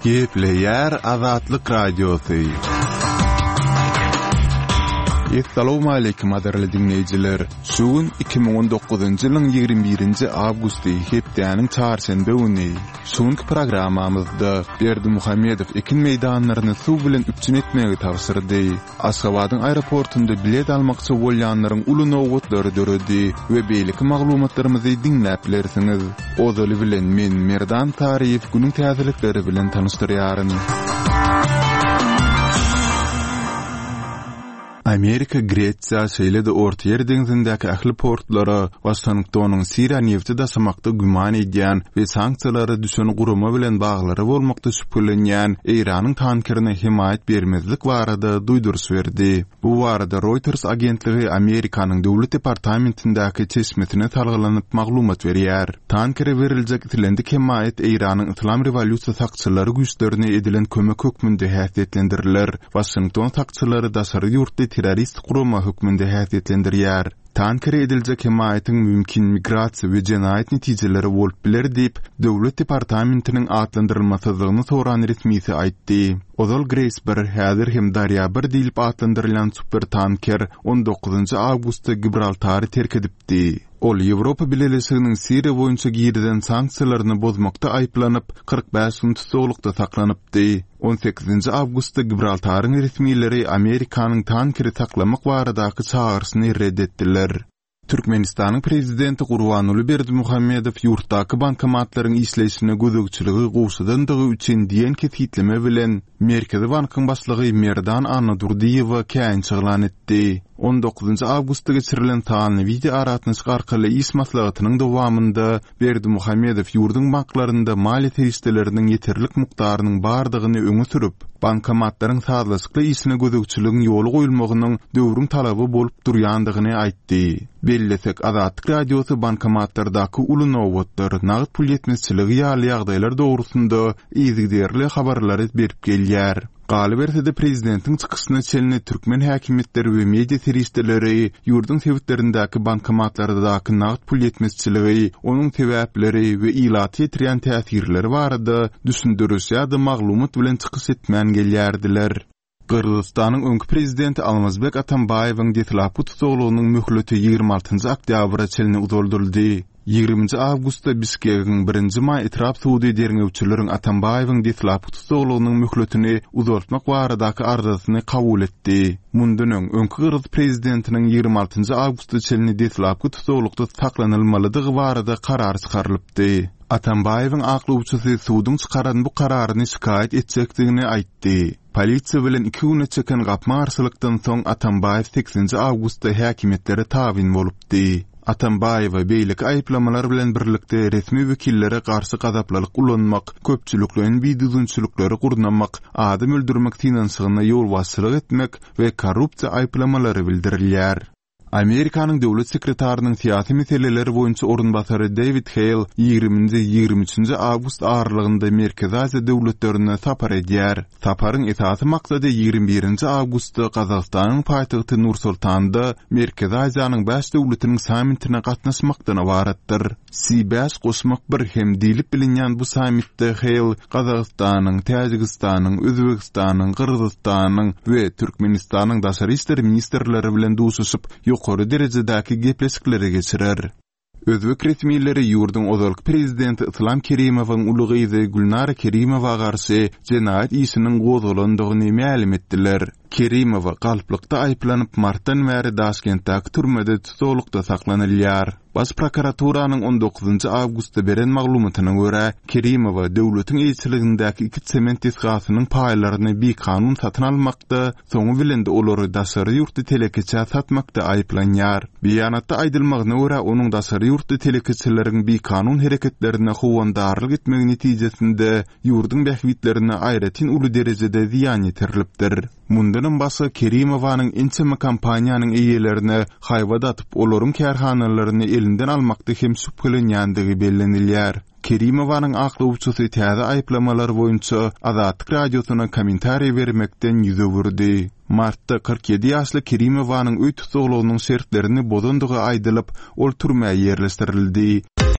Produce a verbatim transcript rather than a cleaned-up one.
Gepleýär Azatlyk Radiosy. Essalawmaleýkim gadyrly diňleýjiler! Şu gün iki müň on dokuzynjy ýylyň ýigrimi birinji awgusty, hepdäniň çarşenbe güni. Şu günki programmamyzda Berdimuhamedow ekin meýdanlaryny suw bilen üpjün etmegi tabşyrdy. Aşgabadyň aeroportunda bilet almakçy bolýanlaryň uly nobatlary döredi we beýleki maglumatlarymyzy diňläp bilersiňiz. Ozaly bilen men Merdan Saryýew günüň täzelikleri bilen tanyşdyrýaryn. Amerika Gresiýa, şeýle-de Ortaýer deňzindäki ähli portlara Waşingtonyň Siriýa nebti daşamakda güman edýän we sanksiýalara düşen gurama bilen baglary bolmakda şübhelenýän Eýranyň tankerine hemaýat bermezlik barada duýduryş berdi. Bu barada Reuters agentligi Amerikanyň Döwlet departamentindäki çeşmesine salgylanyp maglumat berýär. Tankere beriljek islendik hemaýat Eýranyň Yslam rewolýusiýa sakçylary güýçlerine edilen kömek hökmünde häsiýetlendiriler. Waşington sakçylary daşary ýurtly terrorist gurama hökmünde häsiýetlendirýär. Tankere ediljek hemaýatyň mümkin migrasiýa we jenaýat netijeleri bolup biler diýip, Döwlet departamentiniň atlandyrylmasyzlygyny soran resmisi aýtdy. Ozal Grace bir, häzir hem Darýa bir diýlip atlandyrylýan supertanker on dokuzynjy awgustda Gibraltary terk edipdi. Ol Ýewropa Bileleşiginiň Siriýa boýunça girizen sanksiýalaryny bozmakda aýyplanyp, kyrk bäş gün tussaglykda saklanypdy. On sekizinji awgustda Gibraltaryň resmileri Amerikanyň tankeri saklamak baradaky çagyryşyny red etdiler. Türkmenistanyň Prezidenti Gurbanguly Berdimuhamedow ýurtdaky bankomatlaryň işleýşine gözegçiligi gowşadandygy üçin diýen kesgitleme bilen Merkezi bankyň başlygy Merdan Annadurdyýewe käýinç yglan etdi. On dokuzynjy awgustda geçirilen sanly wideoaragatnaşyk arkaly iş maslahatynyň dowamynda Berdimuhamedow ýurduň banklarynda maliýe serişdeleriniň ýeterlik mukdarynyň bardygyny öňe sürüp, bankomatlaryň sazlaşykly işine gözegçiligiň ýola goýulmagynyň döwrüň talaby bolup durýandygyny aýtdy. Bellesek, Azatlyk Radiosy bankomatlardaky uly nobatlar, nagt pul ýetmezçiligi ýaly ýagdaýlar dogrusynda yzygiderli habarlary berip gelýär. Galyberse-de, prezidentiň çykyşyna çenli türkmen häkimiýetleri we media serişdeleri ýurduň sebitlerindäki bankomatlardaky nagt pul ýetmezçiligi, onuň sebäpleri we ilata ýetirýän täsirleri barada düşündiriş ýa-da maglumat bilen çykyş etmän gelýärdiler. Gyrgyzystanyň öňki prezidenti Almazbek Atambaýewiň deslapky tussaglygynyň möhleti ýigrimi altynjy oktýabra çenli uzaldyldy. Ýigriminji awgustda Bişkegiň birinji maý etrap sudy derňewçileriň Atambaýewiň deslapky tussaglygynyň möhletini uzaltmak baradaky arzasyny kabul etdi. Mundan öň, öňki gyrgyz prezidentiniň ýigrimi altynjy awgusta çenli deslapky tussaglykda saklanylmalydygy barada karar çykarylypdy. Atambaýewiň aklawçysy suduň çykaran bu kararyny şikaýat etjekdigini aýtdy. Polisiýa bilen iki güne çeken gapma-garşylykdan soň Atambaýew sekizinji awgustda häkimiýetlere tabyn bolupdy. Atambaýewa beýleki aýyplamalar bilen birlikde resmi wekillere garşy gazaplylyk ulanmak, köpçülikleýin bidüzgünçilikleri gurnamak, adam öldürmek synanyşygyna ýolbaşçylyk etmek we korrupsiýa aýyplamalary bildirilýär. Amerikanyň döwlet sekretarynyň syýasy meseleler boýunça orunbasary Dewid Heýl ýigriminji, ýigrimi üçünji awgust aralygynda Merkezi Aziýa döwletlerine sapar edýär. Saparyň esasy maksady ýigrimi birinji awgustda Gazagystanyň paýtagty Nur-Sultanda Merkezi Aziýanyň bäş döwletiniň sammitine gatnaşmakdan ybaratdyr. C bäş goşmak bir hem diýlip bilinýän bu sammitde Heýl Gazagystanyň, Täjigistanyň, Özbegistanyň, Gyrgyzystanyň we Türkmenistanyň daşary işler ministrleri bilen duşuşyp, ýokary derejedäki gepleşikleri geçirer. Özbek resmileri ýurduň ozalky prezidenti Yslam Kerimowyň uly gyzy Gülnara Kerimowa garşy jenaýat işiniň gozgalandygyny mälim etdiler. Kerimowa galplykda aýyplanyp, martdan bäri Daşkentdäki türmede tussaglykda saklanylýar. Baş prokuraturanyň on dokuzynjy awgustda beren maglumatyna görä, Kerimowa döwletiň eýeçiligindäki iki sement desgasynyň paýlaryny bikanun satyn almakda, soňy bilen-de olary daşary ýurtly telekeçä satmakda aýyplanýar. Beýanatda aýdylmagyna görä, onuň daşary ýurtly telekeçileriň bikanun hereketlerine howandarlyk etmegi netijesinde ýurduň bähbitlerine aýratyn uly derejede zyýan ýetirilipdir. Mundanam başga Kerimowanyň ençeme kompaniýanyň eýelerine haýbat atyp, olaryň kärhanalaryny elinden almakda hem şübhelenýändigi bellenilýär. Kerimowanyň aklawçysy täze aýyplamalar boýunça Azatlyk Radiosyna kommentariý bermekden ýüz öwürdi. Martda kyrk ýedi ýaşly Kerimowanyň öý tussaglygynyň şertlerini bozandygy aýdylyp, ol türmä ýerleşdirildi.